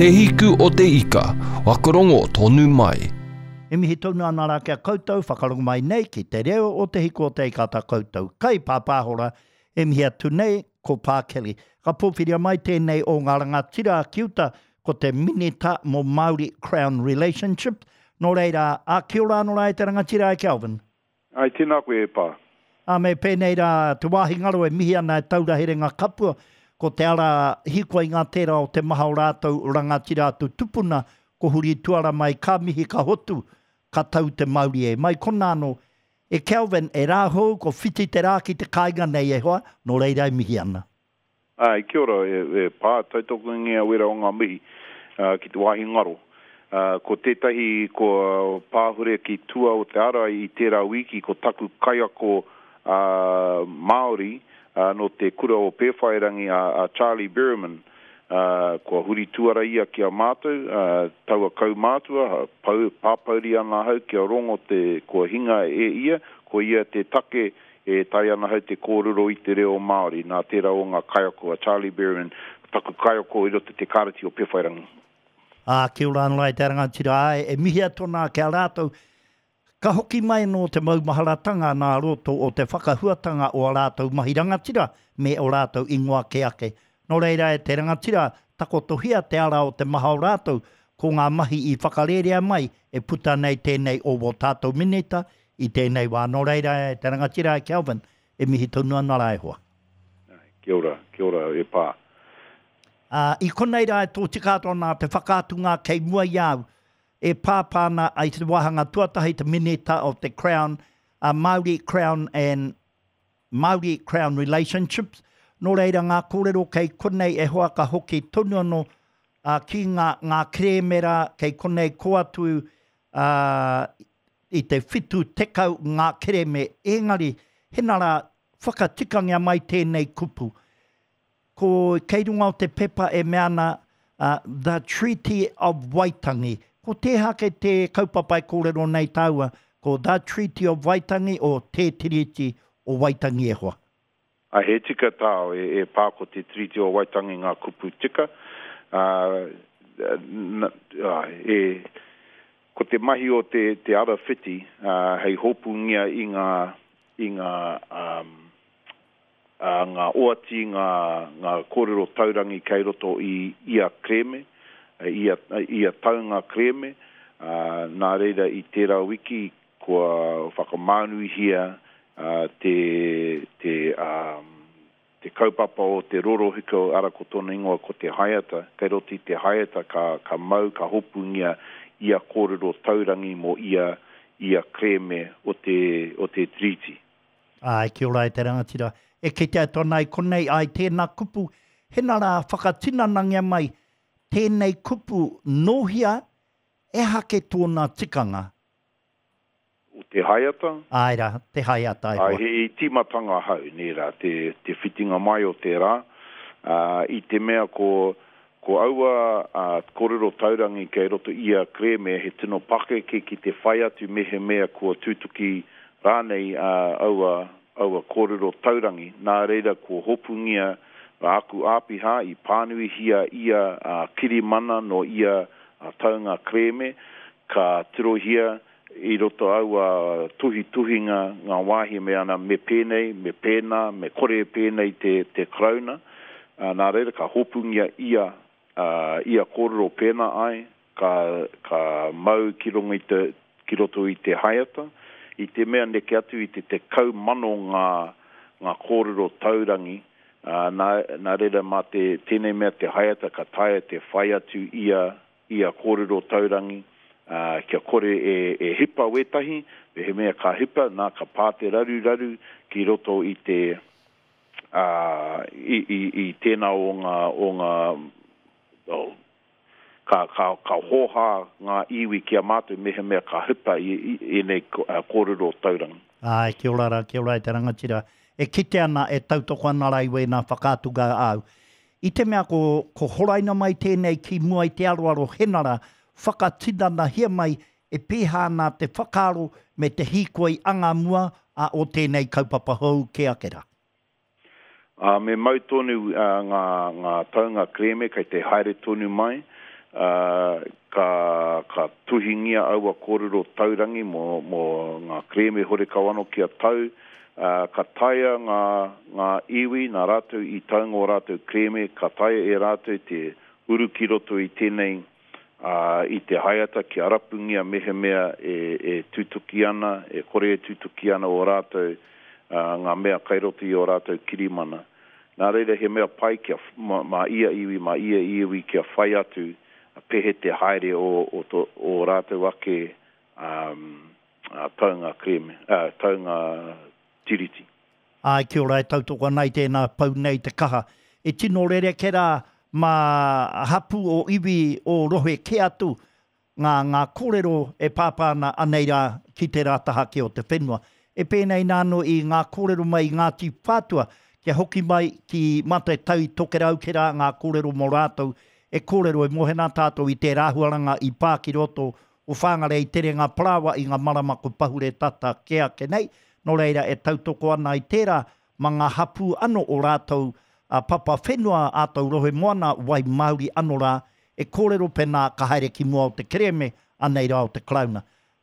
Te Hiku o te Ika, whakarongo tonu mai. E mihi tonu ana rā ki a koutou, whakarongo mai nei ki te reo o Te Hiku o te Ika tā koutou kaipāpāhora e mihi atu nei ko Pā Kelly. Ka pōwhiria mai tēnei o ngā rangatira ki uta ko te Minita mō Māori Crown Relationships. Nō reira, ā, kia ora anō rā e te rangatira e Kelvin. Ai, tēnā koe e Pā. Ā, me pēnei rā te wāhi ngaro e mihi ana e taura herenga kapua, ko te ara hīkoi ngā tērā o te maha o rātou rangatira atu tupuna, ko huri tuara mai ka mihi ka hotu, ka tau te mauri e. Mai konā anō, e Kelvin, e Rāhou, ko whiti te rā ki te kāinga nei e hoa, nō reira e mihi ana. Āe, kia ora, e Pā, tautokongia wera o ngā mihi ki te wāhi ngaro. Ko tētahi kua pāhure ki tua o te ara i tērā wīki ko taku kaiako Māori nō te kura o Pēwhairangi a Charlie Berryman. Kua huri tuara ia ki a mātou, taua kaumātua, pāpouri ana ahau kia rongo te kua hinga e ia, ko ia te take E taea ana ahau te kōrero i te reo Māori nā tērā o ngā kaiako a Charlie Berryman, taku kaiako i roto i te Kāreti o Pewhairangi. Ā, kia ora anō e te rangatira, āe, e mihi atu ana ki a rātou. Ka hoki mai anō te maumaharatanga nā roto o te whakahuatanga o a rātou mahi rangatira me o rātou ingoa kē ake. Nō reira e te rangatira, takotohia te ara o te maha o rātou, ko ngā mahi i whakarērea mai e puta nei tēnei o wō tātou minita i tēnei wā. Nō reira e te rangatira e Kelvin, e mihi tonu ana rā e hoa. Kia ora, kia ora e pā. Ā, i konei rā e tōtika atu ana te whakaatunga kei mua i a au, e pāpā ana i te wāhanga tuatahi te Minita of the Crown, a Māori Crown and Māori Crown Relationships, nō reira ngā kōrero kei konei e hoa ka hoki tonu anō ā, ki ngā, ngā kerēme rā kei konei kō atu ā, i te 70 ngā kerēme, engari hena rā whakatikangia mai tēnei kupu. Ko kei runga o te pepa e mea ana The Treaty of Waitangi. Ko tēhea ake te kaupapa e kōrero nei tāua, ko The Treaty of Waitangi o Te Tiriti o Waitangi e hoa? Ā, he tika tāu e pā ko Te Tiriti o Waitangi ngā kupu tika, ā, e, ko te mahi o te, te ara whiti, ā, hei hopungia i ngā, i ngā, ā, ā, ngā oati, ngā, ngā kōrero taurangi kei roto i ia kerēme, ia, ia taunga kerēme, ā, nā reira i tērā wiki kua whakamānuihia te, te, te kaupapa o te rorohiko, ara ko tōna ingoa ko te haeata, kei roto i te haeata ka, ka mau, ka hopungia ia kōrero taurangi mō ia, ia kerēme o te, o te Tiriti. Āe, kia ora e te rangatira. E kitea atu ana i konei, āe tēnā kupu, hena rā whakatinanangia mai tēnei kupu nōhia, ehake tōna tikanga. O te haeata? Āe rā, te haeata e hoa. Āe, he tīmatanga hau, nē rā, te, te whitinga mai o te rā, ā, i te mea ko, ko aua, ā, kōrero taurangi kei roto i a kerēme he tino pakeke ki te whai atu mehemea kua tutuki rānei, ā, aua, aua kōrero taurangi. Nā reira kua hopungia āku āpiha i pānuihia ia, ā, kirimana nō ia, ā, taunga kerēme, Ka tirohia i roto aua tuhituhinga ngā wāhi me ana me pēnei, me pēnā, me kore e pēnei te, te Karauna. Ā, nā reira ka hopungia ia, ā, ia kōrero pēnā ai, ka, ka mau ki runga i te, ki roto i te haeata, i te mea neke atu i te 10,000 ngā, ngā kōrero taurangi, ā, nā, nā reira mā te, tēnei mea te haeata ka taea te whai atu ia, ia kōrero taurangi, ā, kia kore e, e hipa wētahi, mehemea ka hipa, nā, ka pā te raruraru ki roto i te, ā, i, i, i tēnā o ngā, o ngā, o, ka, ka, ka hōhā ngā iwi ki a mātou mehemea ka hipa i, i ēnei kōrero taurangi. Āe, kia ora rā, kia ora e te rangatira. E kite ana, e tautoko ana rā i wēnā whakaatunga āu. I te mea ko, ko horaina mai tēnei ki mua i te aroaro Henara, whakatinanahia mai e pēhā ana te whakaaro me te hīkoi anga mua a o tēnei kaupapa hou kē ake rā. Ā, me mau tonu ngā, ngā taunga kerēme kei te haere tonu mai, ā, ka, ka tuhingia aua kōrero taurangi mō, mō ngā kerēme horekau anō kia tau, ā, ka taea ngā, ngā iwi nā rātou i taunga ō rātou kerēme, ka taea e rātou te uru ki roto i tēnei, ā, i te haeata kia rapungia mehemea e, e tutuki ana, e kore e tutuki ana ō rātou, ā, ngā mea kai roto i ō rātou kirimana. Nā reira he mea pai kia, mā, mā ia iwi, mā ia iwi kia whai atu pehe te haere o, o tō, ō rātou ake, ā, ā, taunga kerēme, ā, taunga tiriti. Āe, kia ora, e tautoko ana i tēnā pau nei te kaha. E tino rerekē rā mā hapū o iwi o rohe kē atu ngā ngā kōrero e pāpā ana anei rā ki tērā taha kē o te whenua. E pēnei nā anō i ngā kōrero mai i Ngāti Whātua kia hoki mai ki mā te Tai Tokerau kē rā ngā kōrero mō rātou e kōrero e mohe nā tātou i tērā āhuaranga i pā ki roto o Whangarei terenga parāoa i ngā marama ko pahure tata kē ake nei, nō reira e tautoko ana i tērā ma ngā hapū ano o rātou a papa whenua a tou rohe moana wai Māori ano rā e kōrero pēnā ka haere ki mua o te kerēme anei rā o te Karauna.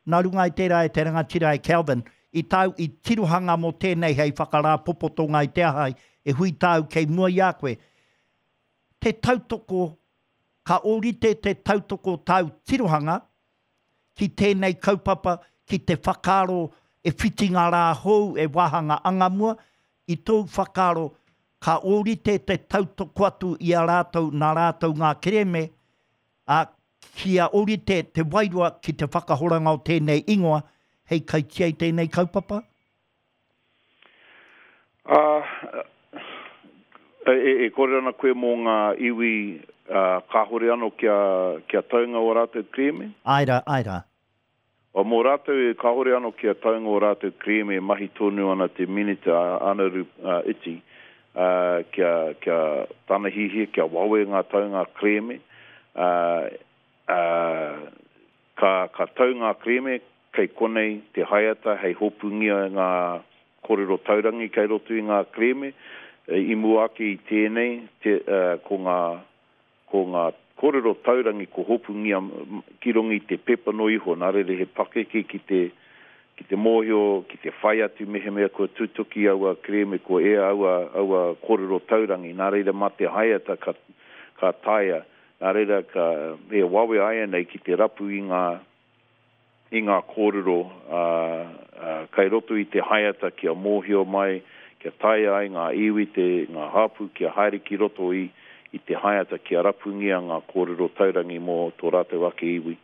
Nā runga i tērā e te rangatira e Kelvin, i tāu i tirohanga mō tēnei hei whakarāpopotonga i te aha e hui tāu kei mua i a koe, te tautoko Ka ōrite te tautoko tāu tirohanga ki tēnei kaupapa, ki te whakaaro e whiti ngā rā hou e wāhanga angamua, i tōu whakaaro ka ōrite te tautoko atu i a rātou nā rātou ngā kerēme, ā, kia ōrite te wairua ki te whakahoranga o tēnei ingoa hei kaitia i tēnei kaupapa? Ā, e, e kōrero ana koe mō ngā iwi, ā, kāhore anō kia, kia taunga ō rātou kerēme? Āe rā, āe rā. Ā, mō rātou e kāhore anō kia taunga ō rātou kerēme e mahi tonu ana te Minita a Anaru Iti, ā, kia, kia tana hiahia kia wawe ngā taunga kerēme, ā, ā, ka, ka tau ngā kerēme, Kei konei te haeata hei hopungia ngā korero taurangi kei roto i ngā kerēme. I mua ake i tēnei, te, ko ngā, ko ngā korero taurangi ko hopungia ki runga i te pepa noa iho, nā reira he pakeke ki te, ki te mōhio, ki te whai atu mehemea kua tutuki aua kerēme, kua ea aua, aua korero taurangi, nā reira mā te haeata ka, ka taea. Nā reira ka, he wawe āianei ki te rapu i ngā, i ngā kōrero kai roto i te haeata kia mōhio mai, kia taea ai ngā iwi, te, ngā hapū kia haere ki roto i, i te haeata kia rapungia ngā kōrero taurangi mō tō rātou ake iwi.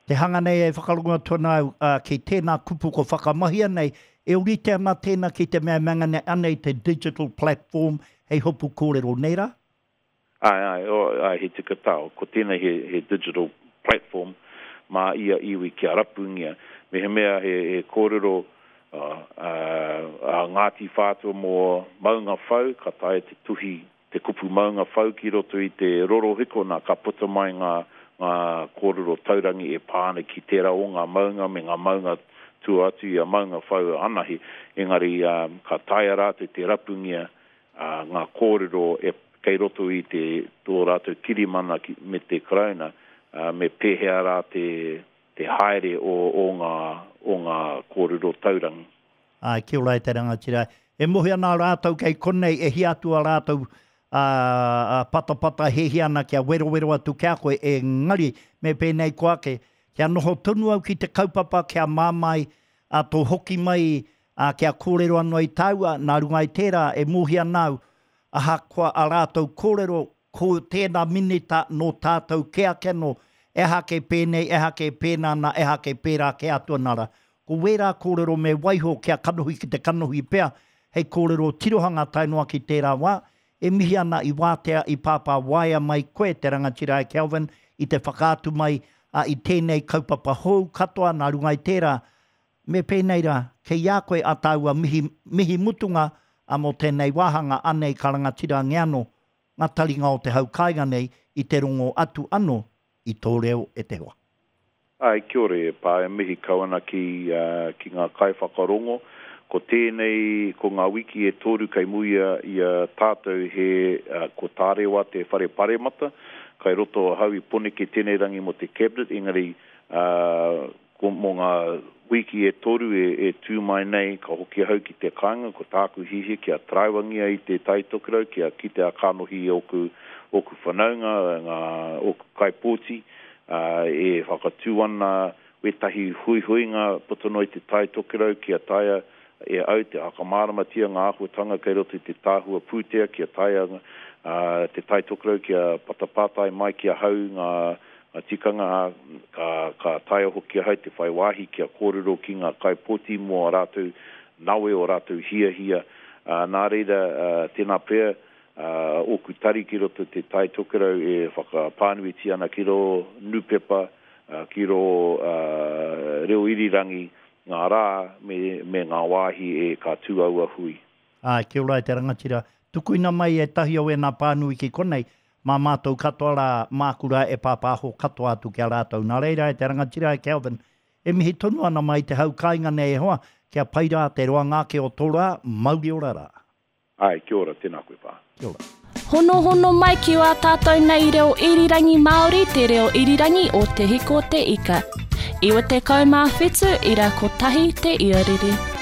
Te hanga nei e whakarongo atu ana au, ā, ki tēnā kupu ko whakamahia nei, e ōrite ana tēnā ki te mea e mea nei anei te digital platform hei hopu kōrero, nē rā? Āe, āe, oh, āe, he tika tāu. Ko tēnei he, he digital platform mā ia iwi kia rapungia. Mehemea he, he kōrero uh, uh, a Ngāti Whātua mō Maungawhau, ka taea te tuhi te kupu Maungawhau ki roto i te rorohiko, nā, ka puta mai ngā, ngā kōrero taurangi e pā ana ki tērā o ngā maunga me ngā maunga tua atu i a Maungawhau anahe. Engari, um, ka taea rātou te rapungia ā, ngā kōrero e, kei roto i te, tō rātou kirimana ki, me te Karauna, ā, me pēhea rā te, te haere o, o ngā, o ngā kōrero taurangi. Āe, kia ora e te rangatira. E mohi ana rātou kei konei e hia atu a rātou, ā, ā, patapata hiahia ana kia werowero atu ki a koe, engari me pēnei koa ake, kia noho tonu au ki te kaupapa kia māmā ai, ā, tō hoki mai Ā, kia kōrero anō ai tāua, nā runga i tērā e mōhia ana au, ahakoa ā rātou kōrero, ko tēnā minita nō tātou kē ake anō, ehake pēnei, ehake pēnā nā, ehake pērā kē atu ana rā. Ko wērā kōrero me waiho kia kanohi ki te kanohi pea, hei kōrero tirohanga tae noa ki tērā wā. E mihi ana i wātea, i pāpā waea mai koe te rangatira e Kelvin i te whakaatu mai a i tēnei kaupapa hou katoa nā runga i tērā, Me pēnei rā, kei a koe a tāua mihi, mihi mutunga a mō tēnei wāhanga anei ka rangatirangia anō ngā taringa o te hau kāinga nei i te rongo atu anō i tō reo e te hoa. Āe, kia ora e Pā, e mihi kau ana ki, ki ngā kaiwhakarongo. Ko tēnei, ko ngā wiki e toru kei muia i a tātou he, ko Tārewa te whare paremata, kai roto ahau i Poneke tēnei rangi mō te Cabinet, engari, ko, mō ngā wiki e toru e, e tū mai nei, ka hoki ahau ki te kāinga, ko tāku hiahia kia taraiwangia i te Tai Tokerau, kia kite a kanohi i ōku, ōku whanaunga, ngā, ōku kaipōti, ā, e whakatū ana wētahi huihuinga puta noa i te Tai Tokerau kia taea e au te whakamāramatia ngā āhuatanga kei roto i te tahua pūtea kia taea te Tai Tokerau kia patapātai mai ki ahau ngā tikanga, ā, ka, ka taea hoki ahau te whai wāhi kia kōrero ki ngā kaipōti mō ā rātou nawe, ō rātou hiahia. Ā, nā reira, tēnā pea, ōku tari ki roto i te Tai Tokerau e whakapānuitia ana ki rō nūpepa, ki rō reo irirangi ngā rā me, me ngā wāhi e ka tū aua hui. Āe, kia ora e te rangatira. Tukuina mai ētahi o ēnā pānui ki konei, mā mātou katoa rā, māku rā e pāpāho katoa atu ki a rātou. Nā reira e te rangatira e Kelvin, e mihi tonu ana mai te hau kāinga nei e hoa, kia pai rā te roanga ake o tō rā, mauri ora rā. Āe, kia ora, tēnā koe pā. Kia ora. Honohono mai ki wā tātou nei reo irirangi Māori te reo irirangi o Te Hiko Te Ika. 97 ira kotahi te iarere.